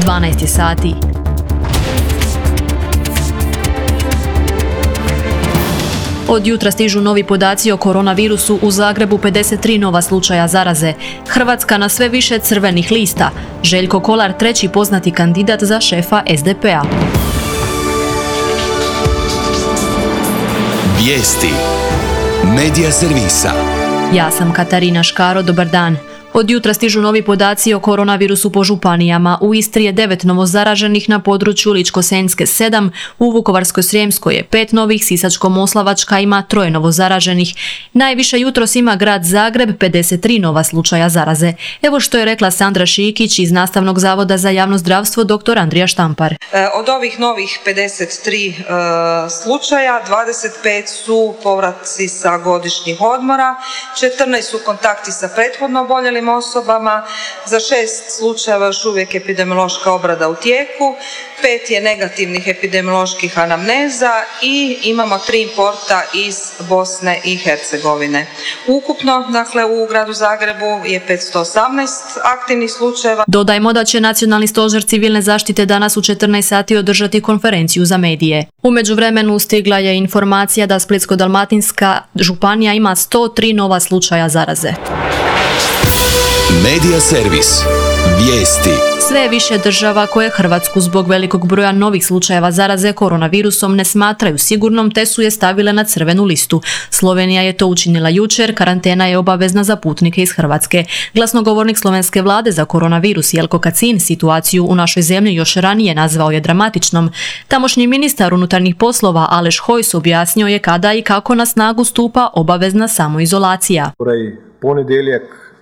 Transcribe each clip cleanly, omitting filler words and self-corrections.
12 sati. Od jutra stižu novi podaci o koronavirusu, u Zagrebu 53 nova slučaja zaraze. Hrvatska na sve više crvenih lista. Željko Kolar, treći poznati kandidat za šefa SDP-a. Vijesti. Medija servisa. Ja sam Katarina Škaro, dobar dan. Od jutra stižu novi podaci o koronavirusu po županijama. U Istri je 9 novozaraženih, na području Ličko-senjske 7, u Vukovarsko-srijemskoj je 5 novih, Sisačko-moslavačka ima 3 novozaraženih. Najviše jutros ima grad Zagreb, 53 nova slučaja zaraze. Evo što je rekla Sandra Šikić iz Nastavnog zavoda za javno zdravstvo dr. Andrija Štampar. Od ovih novih 53 slučaja, 25 su povratci sa godišnjih odmora, 14 su kontakti sa prethodno oboljelim osobama, za 6 slučajeva još uvijek epidemiološka obrada u tijeku, 5 je negativnih epidemioloških anamneza i imamo 3 importa iz Bosne i Hercegovine. Ukupno, dakle, u gradu Zagrebu je 518 aktivnih slučajeva. Dodajmo da će Nacionalni stožer civilne zaštite danas u 14 sati održati konferenciju za medije. U međuvremenu stigla je informacija da Splitsko-dalmatinska županija ima 103 nova slučaja zaraze. Medija servis. Vijesti. Sve je više država koje Hrvatsku zbog velikog broja novih slučajeva zaraze koronavirusom ne smatraju sigurnom, te su je stavile na crvenu listu. Slovenija je to učinila jučer, karantena je obavezna za putnike iz Hrvatske. Glasnogovornik slovenske vlade za koronavirus Jelko Kacin situaciju u našoj zemlji još ranije nazvao je dramatičnom. Tamošnji ministar unutarnjih poslova Aleš Hojs objasnio je kada i kako na snagu stupa obavezna samoizolacija.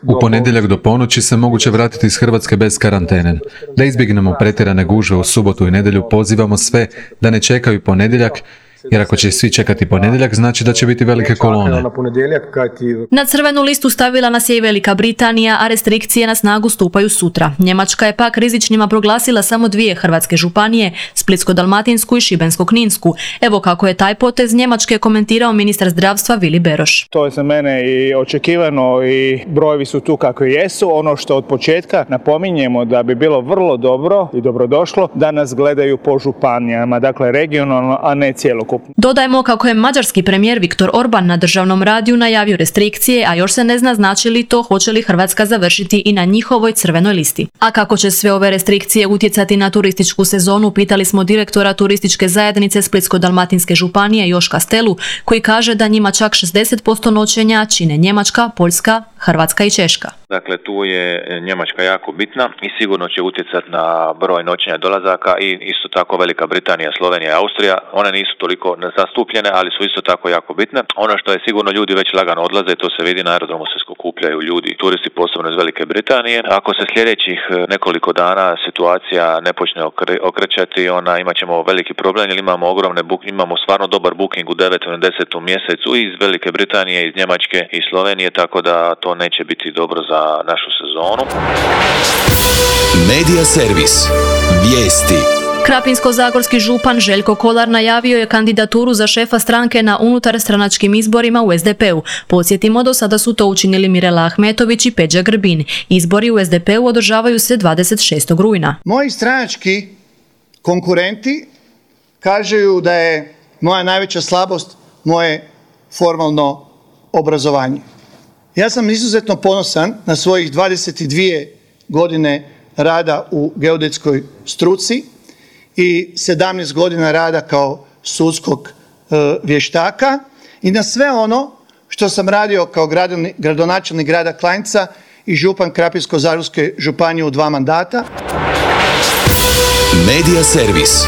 U ponedjeljak do ponoći se moguće vratiti iz Hrvatske bez karantene. Da izbjegnemo pretjerane gužve u subotu i nedjelju, pozivamo sve da ne čekaju ponedjeljak, jer ako će svi čekati ponedjeljak, znači da će biti velike kolone. Na crvenu listu stavila nas je i Velika Britanija, a restrikcije na snagu stupaju sutra. Njemačka je pak rizičnima proglasila samo 2 hrvatske županije, Splitsko-dalmatinsku i Šibensko-kninsku. Evo kako je taj potez Njemačke komentirao ministar zdravstva Vili Beroš. To je za mene i očekivano i brojevi su tu kako jesu. Ono što od početka napominjemo da bi bilo vrlo dobro i dobrodošlo da nas gledaju po županijama, dakle regionalno, a ne cijelo. Dodajmo kako je mađarski premijer Viktor Orban na državnom radiju najavio restrikcije, a još se ne zna znači li to hoće li Hrvatska završiti i na njihovoj crvenoj listi. A kako će sve ove restrikcije utjecati na turističku sezonu, pitali smo direktora turističke zajednice Splitsko-dalmatinske županije Joška Stelu, koji kaže da njima čak 60% noćenja čine Njemačka, Poljska, Hrvatska i Češka. Dakle, tu je Njemačka jako bitna i sigurno će utjecati na broj noćenja dolazaka i isto tako Velika Britanija, Slovenija i Austrija. One nisu toliko zastupljene, ali su isto tako jako bitne. Ono što je sigurno, ljudi već lagano odlaze, to se vidi na aerodromu, se skupljaju ljudi, turisti posebno iz Velike Britanije. Ako se sljedećih nekoliko dana situacija ne počne okrećati, imat ćemo veliki problem, jer imamo stvarno dobar booking u 9. i 10. mjesecu iz Velike Britanije, iz Njemačke i Slovenije, tako da to neće biti dobro za našu sezonu. Medija servis. Vijesti. Krapinsko-zagorski župan Željko Kolar najavio je kandidaturu za šefa stranke na unutarstranačkim izborima u SDP-u. Podsjetimo, do sada su to učinili Mirela Ahmetović i Peđa Grbin. Izbori u SDP-u održavaju se 26. rujna. Moji stranački konkurenti kažu da je moja najveća slabost moje formalno obrazovanje. Ja sam izuzetno ponosan na svojih 22 godine rada u geodetskoj struci i 17 godina rada kao sudskog vještaka i na sve ono što sam radio kao gradonačelnik grada Klanjca i župan Krapinsko-zagorske županije u 2 mandata. Medija servis.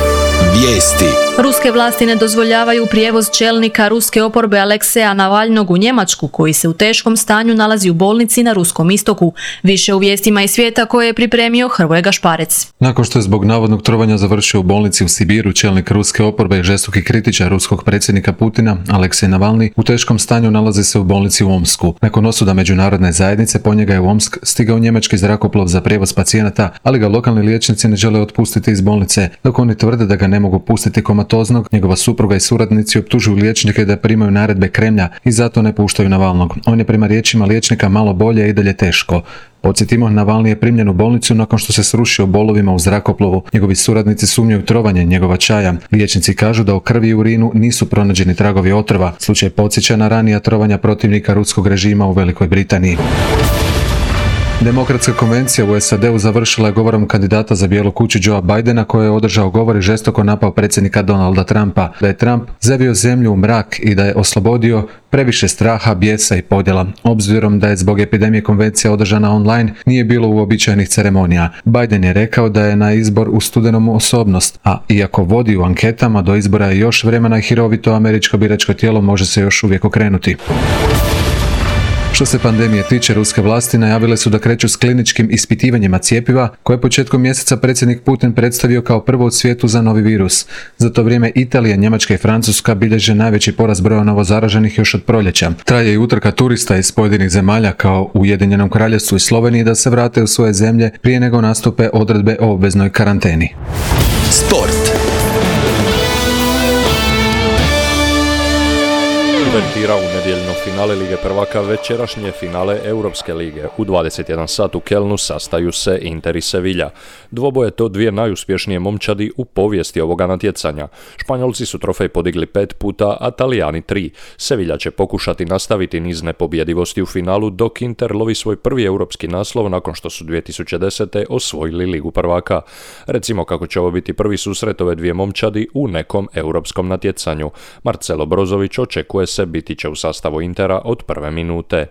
Vijesti. Ruske vlasti ne dozvoljavaju prijevoz čelnika ruske oporbe Alekseja Navalnog u Njemačku, koji se u teškom stanju nalazi u bolnici na Ruskom istoku. Više u vijestima iz svijeta koje je pripremio Hrvoje Gašparec. Nakon što je zbog navodnog trovanja završio u bolnici u Sibiru, čelnik ruske oporbe i žestoki kritičar ruskog predsjednika Putina, Aleksej Navalni, u teškom stanju nalazi se u bolnici u Omsku. Nakon osuda međunarodne zajednice, po njega je u Omsk stigao njemački zrakoplov za prijevoz pacijenata, ali ga lokalni liječnici ne žele otpustiti iz bolnice, dok oni tvrde da ga ne mogu pustiti komatoznog, njegova supruga i suradnici optužuju liječnike da primaju naredbe Kremlja i zato ne puštaju Navalnog. On je prema riječima liječnika malo bolje i dalje teško. Podsjetimo, Navalni je primljen u bolnicu nakon što se srušio bolovima u zrakoplovu. Njegovi suradnici sumnjaju trovanje njegova čaja. Liječnici kažu da u krvi i urinu nisu pronađeni tragovi otrova. Slučaj podsjeća na ranija trovanja protivnika ruskog režima u Velikoj Britaniji. Demokratska konvencija u SAD-u završila je govorom kandidata za Bijelu kuću Joea Bidena koji je održao govor i žestoko napao predsjednika Donalda Trumpa, da je Trump zavio zemlju u mrak i da je oslobodio previše straha, bijesa i podjela. Obzirom da je zbog epidemije konvencija održana online, nije bilo uobičajenih ceremonija. Biden je rekao da je na izbor u studenom osobnost, a iako vodi u anketama, do izbora je još vremena i hirovito američko biračko tijelo može se još uvijek okrenuti. Što se pandemije tiče, ruske vlasti najavile su da kreću s kliničkim ispitivanjima cjepiva, koje je početkom mjeseca predsjednik Putin predstavio kao prvo u svijetu za novi virus. Za to vrijeme Italija, Njemačka i Francuska bilježe najveći porast broja novozaraženih još od proljeća. Traje i utrka turista iz pojedinih zemalja kao u Ujedinjenom Kraljevstvu i Sloveniji da se vrate u svoje zemlje prije nego nastupe odredbe o obveznoj karanteni. Sport. Uvertira u nedjeljno finale Lige prvaka večerašnje finale Europske lige. U 21 sat u Kelnu sastaju se Inter i Sevilla. Dvoboje to dvije najuspješnije momčadi u povijesti ovoga natjecanja. Španjolci su trofej podigli 5 puta, a Talijani 3. Sevilla će pokušati nastaviti niz nepobjedivosti u finalu, dok Inter lovi svoj prvi europski naslov nakon što su 2010. osvojili Ligu prvaka. Recimo kako će ovo biti prvi susret ove dvije momčadi u nekom europskom natjecanju. Marcelo Brozović očekuje se biti će u sastavu Intera od prve minute.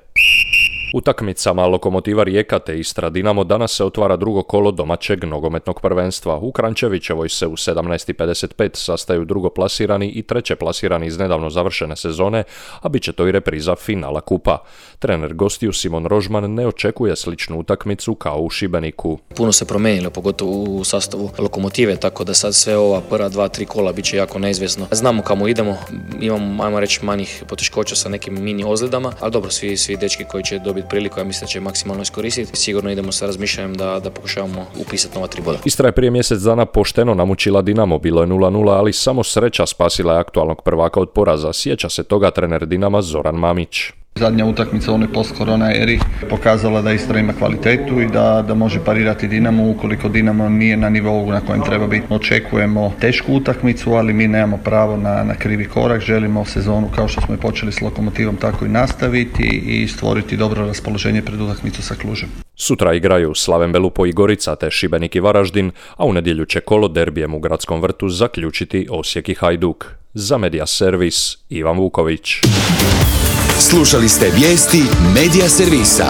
Utakmicama Lokomotiva Rijeka te Istra Dinamo danas se otvara drugo kolo domaćeg nogometnog prvenstva. U Krančevićevoj se u 17:55 sastaju drugoplasirani i trećeplasirani iz nedavno završene sezone, a bit će to i repriza finala kupa. Trener gostiju Simon Rožman ne očekuje sličnu utakmicu kao u Šibeniku. Puno se promijenilo, pogotovo u sastavu Lokomotive, tako da sad sve ova prva 2-3 kola bit će jako neizvjesno. Znamo kamo idemo, imamo, ajmo reći, manjih poteškoća sa nekim mini ozljedama, ali dobro, svi dečki koji će dobiti priliku, ja mislim da će maksimalno iskoristiti. Sigurno idemo sa razmišljanjem da pokušavamo upisati nova 3 boda. Istra je prije mjesec dana pošteno namučila Dinamo, bilo je 0-0, ali samo sreća spasila je aktualnog prvaka od poraza. Sjeća se toga trener Dinama Zoran Mamić. Zadnja utakmica u onoj post-korona eri pokazala da Istra ima kvalitetu i da može parirati Dinamo ukoliko Dinamo nije na nivou na kojem treba biti. Očekujemo tešku utakmicu, ali mi nemamo pravo na krivi korak. Želimo sezonu kao što smo je počeli s Lokomotivom tako i nastaviti i stvoriti dobro raspoloženje pred utakmicu sa Klužem. Sutra igraju Slaven Belupo i Gorica te Šibenik i Varaždin, a u nedjelju će kolo derbijem u Gradskom vrtu zaključiti Osijek i Hajduk. Za Media Servis, Ivan Vuković. Slušali ste vijesti Media Servisa.